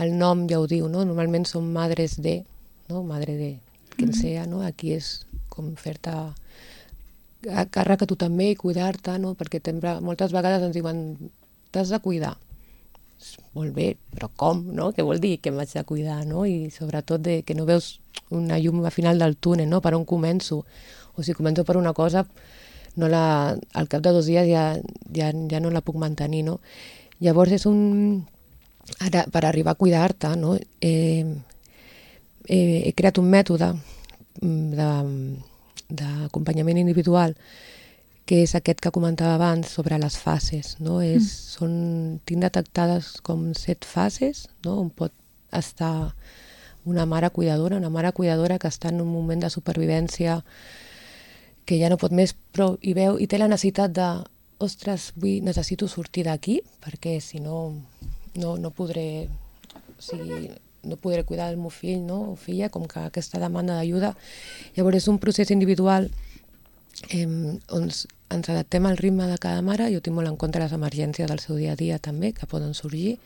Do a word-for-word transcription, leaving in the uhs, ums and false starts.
el nom ja ho diu, no? Normalment són madres de, no? Madre de quien Mhm. sea, no? Aquí és com fer-te a càrrec a tu també i cuidar-te, no? Perquè sempre, moltes vegades ens diuen t'has de cuidar. Molt bé, però com, no? Què vol dir que m'haig de cuidar, no? I sobretot de que no veus una llum al final del túnel, no? Per on començo? O si començo per una cosa, no la, al cap de dos dies ja, ja, ja no la puc mantenir, no? Llavors és un... Ara, per arribar a cuidar-te, no? Eh, eh, he creat un mètode de, d'acompanyament individual que és aquest que comentava abans sobre les fases, no? És, Mm. són, tinc detectades com set fases, no? On pot estar una mare cuidadora, una mare cuidadora que està en un moment de supervivència que ja no pot més, però hi veu i té la necessitat de, ostres, vull, necessito sortir d'aquí perquè si no, no, no podré, o sigui, no podré cuidar del meu fill, no? O filla, com que aquesta demanda d'ajuda. Llavors és un procés individual eh, on ens adaptem al ritme de cada mare. Jo tinc molt en compte les emergències del seu dia a dia també, que poden sorgir,